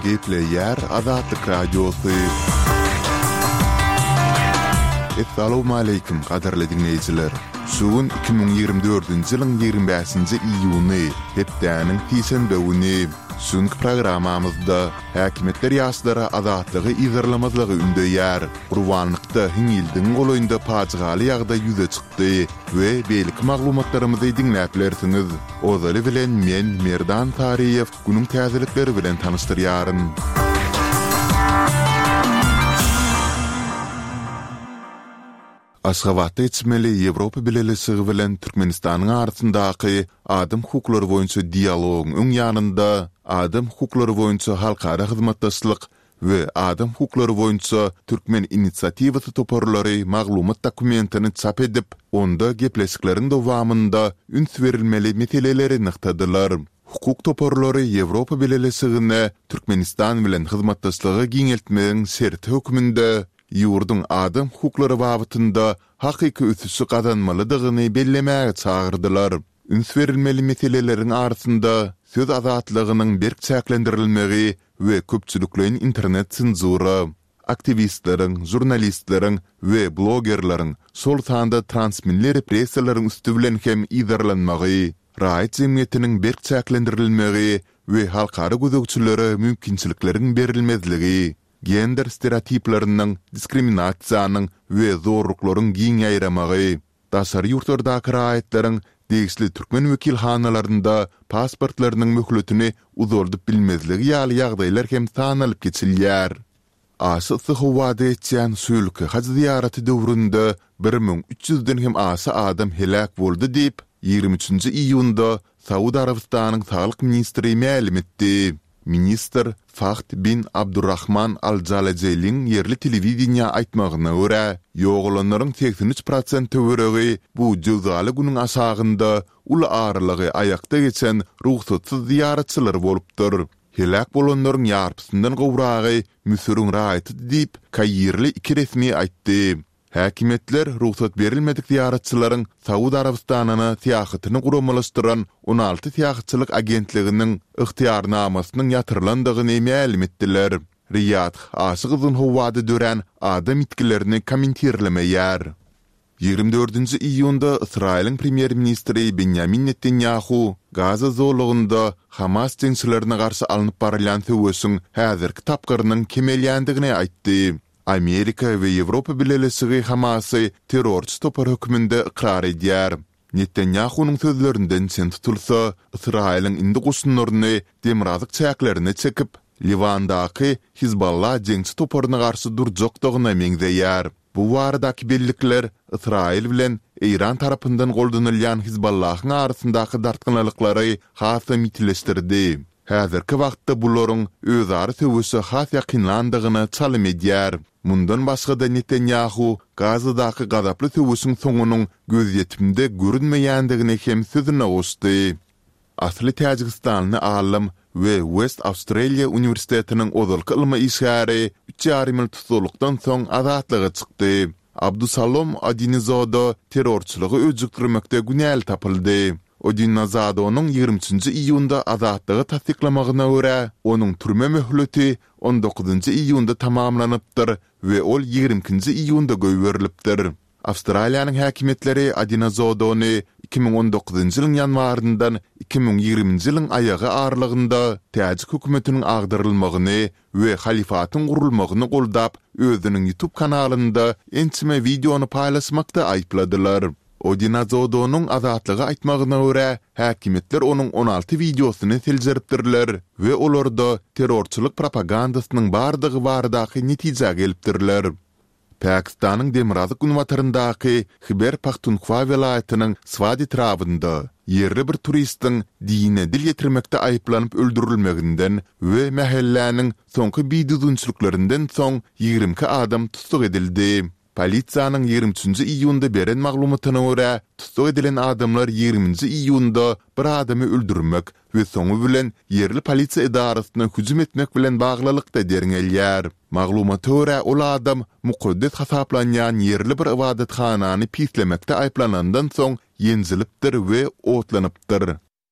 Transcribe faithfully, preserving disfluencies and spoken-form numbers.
Gepleýär Azatlyk Radiosy. Essalawmaleýkim, gadyrly diňleýjiler! Şu gün iki müň ýigrimi dördünji ýylyň ýigrimi bäşinji iýuny, hepdäniň sişenbe güni. Şu günki programmamyzda häkimiýetler ýaşlara azatlygy yzarlamazlygy ündeýär. Gurbanlykda hiňňildigiň golaýynda pajygaly ýagdaý ýüze çykdy we beýleki maglumatlarymyzy diňläp bilersiňiz. Ozaly bilen men, Merdan Saryýew, günüň täzelikleri bilen tanyşdyrýaryn. Aşgabatda geçmeli Ýewropa Bileleşigi bilen Türkmenistanyň arasyndaky adam hukuklary boýunça dialogyň öň ýanynda Adam hukuklary boýunça halkara hyzmatdaşlyk we Adam hukuklary boýunça türkmen inisiatiwasy toparlary maglumat dokumentini çap edip, onda gepleşikleriň dowamynda üns berilmeli meseleleri nygtadylar. Hukuk toparlary Ýewropa Bileleşigine Türkmenistan bilen hyzmatdaşlygy giňeltmegiň şerti hökmünde ýurduň adam hukuklary babatynda hakyky ösüşi gazanmalydygyny bellemäge çagyrdylar. Üns berilmeli meseleleriň arasynda söz azatlygynyň berk çäklendirilmegi we köpçülikleýin internet senzura, aktiwistleriň, žurnalistleriň we blogerleriň, şol sanda transmilli repressiýalaryň üsti bilen hem yzarlanmagy, raýat jemgyýetiniň berk çäklendirilmegi we halkara gözegçilere mümkinçilikleriň berilmezligi, gender stereotipleriniň, diskriminasiýanyň we zorluklaryň giň ýaýramagy, daşary ýurtlardaky raýatlaryň degişli türkmen wekilhanalarynda pasportlarynyň möhletini uzaldyp bilmezligi ýaly ýagdaýlar hem sanalyp geçilýär. Aşa yssy howada geçýän şu ýylky haj zyýaraty döwründe bir müň üç ýüzden hem aşa adam heläk boldy diýip, ýigrimi üçünji iýunda Saud Arabystanyň saglyk ministri mälim etdi. Ministr Fahd bin Abdurrahman al-Jalajeliň ýerli telewideniýä aýtmagyna görä, ýogalanlaryň segsen üç prosent töweregi bu jöwzaly günüň aşagynda uly aralygy aýakda geçen rugsatsyz zyýaratçylar bolupdyr. Heläk bolanlaryň ýarpysyndan gowragy Müsüriň raýatydy diýip, kairli iki resmi aýtdy. Häkimiýetler rugsat berilmedik zyýaratçylaryň Saud Arabystanyna syýahatyny guramalaşdyran on alty syýahatçylyk agentliginiň ygtyýarnamasynyň ýatyrylandygyny mälim etdiler. Riýadh aşa gyzgyn howada dörän adam ýitgilerini kommentirlemeýär. Ýigrimi dördünji iýunda Ysraýylyň premýer-ministri Benýamin Netanýahu Gaza zolagynda Hamas jeňçilerine garşy alnyp barylýan söweşiň häzirki tapgyrynyň kemelýändigini aýtdy. Amerika we Ýewropa Bileleşigi Hamasy terrorçy topar hökmünde ykrar edýär. Netanýahunyň sözlerinden çen tutulsa, Ysraýylyň indi goşunlaryny demirgazyk çäklerine çekip, Liwandaky Hizballah jeňçi toparyna garşy durjakdygyna meňzeýär. Bu baradaky bellikler Ysraýyl bilen Eýran tarapyndan goldanylýan Hizballahyň arasyndaky dartgynlyklary hasam ýitileşdirdi. Häzirki wagtda bularyň özara söweşe has ýakynlandygyna çalym edýär. Mundan başga-da Netanýahu Gazadaky gazaply söweşiň soňunyň gözýetimde görünmeýändigini hem sözüne goşdy. Asly täjigistanly alym we West Australia uniwersitetiniň ozalky ylmy işgäri üç ýarym ýyl tussaglykdan soň azatlyga çykdy. Abdusalom Odinizodo terrorçylygy öjükdirmekde günäli tapyldy. Odinozadonyň ýigrimi üçünji iýunda azatlyga tassyklamagyna görä, onuň türme möhleti on dokuzynjy iýunda tamamlanypdyr we ol ýigrimi ikinji iýunda goýberilipdir. Awstraliýanyň häkimiýetleri Odinozodony iki müň on dokuzynjy ýylyň ýanwaryndan iki müň ýigriminji ýylyň aýagy aralygynda täjik hökümetiniň agdarylmagyny we halyfatyň gurulmagyny goldap, özüniň YouTube kanalynda ençeme wideony paýlaşmakda aýypladylar. Odinazodonyň Azatlyga aýtmagyna görä, häkimiýetler onuň on alty wideosyny seljeripdirler we olarda terrorçylyk propagandasynyň bardygy baradaky netijä gelipdirler. Pakistanyň demirgazyk-günbataryndaky Hiber-Pahtunhwa welaýatynyň Swat etrabynda ýerli bir turistiň dine dil ýetirmekde aýyplanyp öldürilmeginden we mähelläniň soňky bidüzgünçiliklerinden soň ýigrimi iki adam tussag edildi. Polisiýanyň ýigrimi üçünji iýunda beren maglumatyna görä, tussag edilen adamlar ýigriminji iýunda bir adamy öldürmek we soňy bilen ýerli polisiýa edarasyna hüjüm etmek bilen baglylykda derňelýär. Maglumata görä, ol adam mukaddes hasaplanýan ýerli bir ybadathanany pislemekde aýyplanandan soň ýenjilipdir we otlanypdyr.